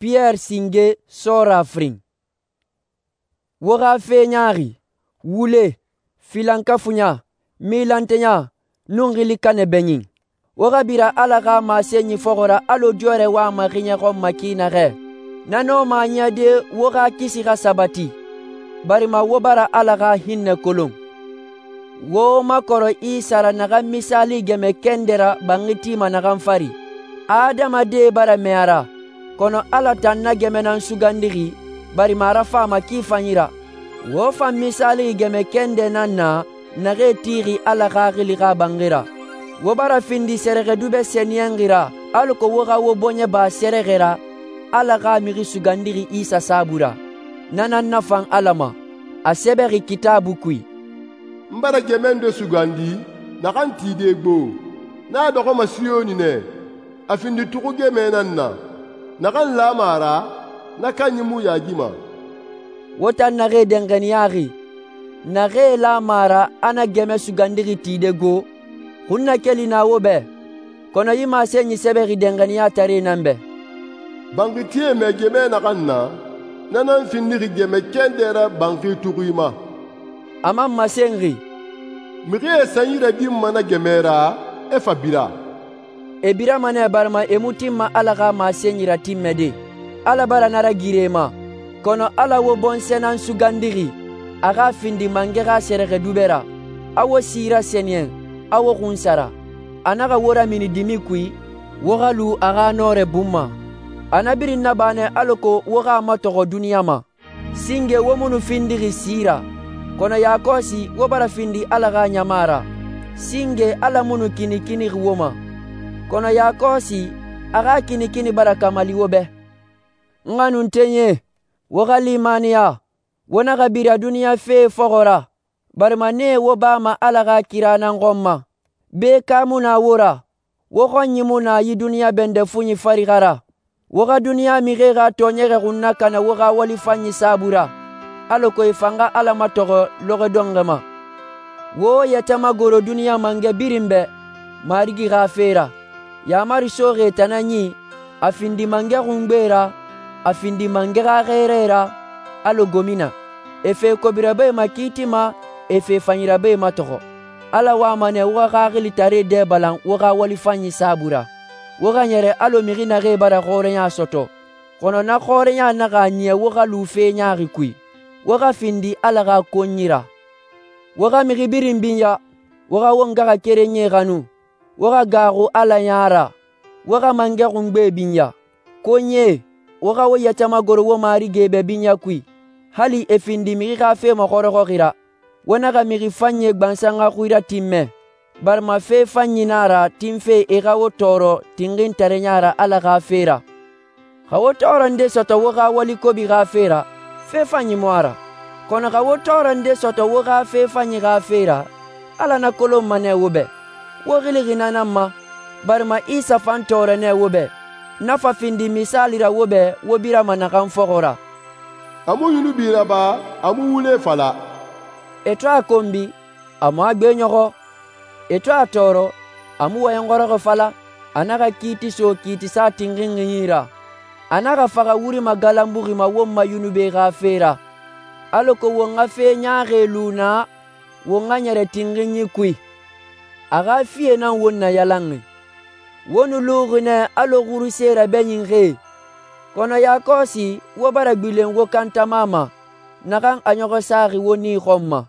Piyɛri singe sɔɔra firin. Wo xa fe ɲaaxi, wule, filankafuɲa, milantɛɲa, nun xili kanɛ bɛɲin. Wo xa bira Ala xa masenyi fɔxɔ ra alɔ diyɔrɛ wama xiɲɛ xɔn ma ki naxɛ. Na nɔma a niyade wo xa kisi xa sabati, barima wo bara Ala xa hinnɛ kolon. Wo makɔrɔ Isa ra naxan misaali gɛmɛ kɛndɛ ra banxi tima naxan fari. Adamadie bara mɛɛ a ra, kɔnɔ Ala tan na gɛmɛ nan sugandixi, barima a rafama ki fanyi ra. Wo fan misaalixi gɛmɛ kɛndɛ nan na naxee tixi Ala Xaxili xa banxi ra. Wo bara findi sɛrɛxɛdubɛ sɛniyɛnxi ra alako wo xa wo bɔɲɛ ba sɛrɛxɛ ra Ala xa Mixi Sugandixi Isa saabui ra. Na nan nafan Ala ma. A sɛbɛxi Kitaabui kui: «N bara gɛmɛ nde sugandi naxan tide gbo. Na a dɔxɔma Siyoni nɛ. A findi tuxu gɛmɛ nan na. Naxan lama a ra, na kanyi mu yaagima.» Wo tan naxee danxaniyaxi, naxee lama a ra a na gɛmɛ sugandixi tide go, xunnakeli na wo bɛ, kɔnɔ yi masenyi sɛbɛxi danxaniyataree nan bɛ: «Banxitie mɛ gɛmɛ naxan na, na nan findixi gɛmɛ kɛndɛ ra banxi tuxui ma.» A man masenxi: «Mixie sanyi radinma na gɛmɛ ra, e fa bira.» E birama nɛ barima e mu tinma Ala xa masenyi ratinmɛde. Ala bara na ragiri e ma, kɔnɔ Ala wo bɔnsɔɛ nan sugandixi a xa findi mangɛ xa sɛrɛxɛdubɛ ra, a wo si rasɛniyɛn, a wo xunsara. A naxa wo ramini dimi kui, wo xa lu a xa nɔrɛ bun ma. A na birin naba nɛ alako wo xa a matɔxɔ duniɲa ma. Singe wo mu nu findixi si ra, kɔnɔ yakɔsi wo bara findi Ala xa ɲama ra. Singe Ala mu nu kinikinixi wo ma, kɔnɔ yakɔsi a xa kinikini bara kamali wo bɛ. N xanuntenyie, wo xa limaniya, wo naxa bira duniɲa fee fɔxɔ ra, barima nee wo bama Ala xa kira nan xɔn ma. Beeka mu na wo ra, wo xɔnyi mu na yi duniɲa bɛndɛ funyi fari xa ra. Wo xa duniɲa mixie xa tɔɔɲɛgɛ xun nakana wo xa walifanyi saabui ra, alako e fan xa Ala matɔxɔ lɔxɔɛ dɔnxɔɛ ma. Wo yɛtɛ magoro duniɲa mangɛ birin bɛ Marigi xa fe ra. Yaamari soxi e tan nan yi, a findi mangɛ xungbe ra, a findi mangɛ xa xɛɛrae ra, alɔ gomina. E fe kobirabae makiitima, e fe fanyirabae matɔxɔ. Ala wama nɛ wo xa xaxilitaree dɛ balan wo xa walifanyi saabui ra. Wo xa ɲɛrɛ alɔ mixi naxee bara xɔrɛɲa sɔtɔ, kɔnɔ na xɔrɛɲa naxa a niya wo xa lu fe ɲaaxi kui. Wo xa findi Ala xa konyi ra. Wo xa mixi birin binya, wo xa wo ngaxakerenyie xanu, wo xa gaaxu Ala ya ra, wo xa mangɛ xungbe binya. Konyie, wo xa wo yɛtɛ magoro wo marigi bɛ binya kui, hali e findi mixi xa fe maxɔrɔxɔxi ra. Wo naxa mixi fanyie gbansan xa xui ratinmɛ, barima fe fanyi na a ra tinfe e xa wo tɔɔrɔ tinxintareɲa ra Ala xa fe ra. Xa wo tɔɔrɔ nde sɔtɔ wo xa wali kobi xa fe ra, fe fanyi mu a ra. Kɔnɔ xa wo tɔɔrɔ nde sɔtɔ wo xa fe fanyi xa fe ra, Ala na kolonma nɛ wo bɛ. Wo xilixi na nan ma, barima Isa fan tɔɔrɔ nɛ wo bɛ. Na fa findi misaali ra wo bɛ wo birama naxan fɔxɔ ra. A mu yunubi raba, a mu wule fala. E to a konbi, a mu a gbe ɲɔxɔ. E to a tɔɔrɔ, a mu wɔyɛnxɔrɔxɔ fala. A naxa kiiti so kiitisa tinxinxinyi ra. A naxa faxa wuri magalanbuxi ma won ma yunube xa fe ra, alako won xa fe ɲaaxie lu na won xa ɲɛrɛ tinxinyi kui. A xa fie nan won nayalanxi. Wo nu luxi nɛ alɔ xuruse rabɛɲinxie, kɔnɔ yakɔsi wo bara gbilen wo kantama ma, naxan a ɲɔxɔ saxi wo nii xɔn ma.